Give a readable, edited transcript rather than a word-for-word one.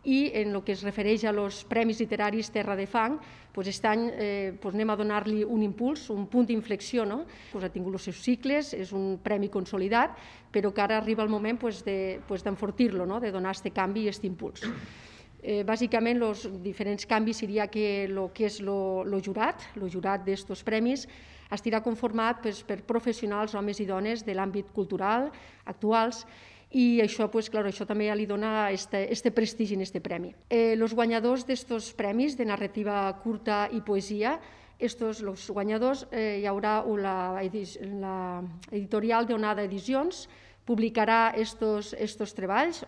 i en el que es refereix als Premis Literaris Terra de Fang, aquest any anem a donar-li un impuls, un punt d'inflexió. Ha tingut els seus cicles, és un premi consolidat, però que ara arriba el moment d'enfortir-lo, de donar aquest canvi i aquest impuls. Bàsicament, els diferents canvis seria que el que és el jurat d'estos premis estarà conformat per professionals, homes i dones de l'àmbit cultural actuals, i això també li dona aquest prestigi en aquest premi. Els guanyadors d'aquests premis de narrativa curta i poesia, els guanyadors, hi haurà l'editorial d'Onada Edicions, publicarà aquests treballs,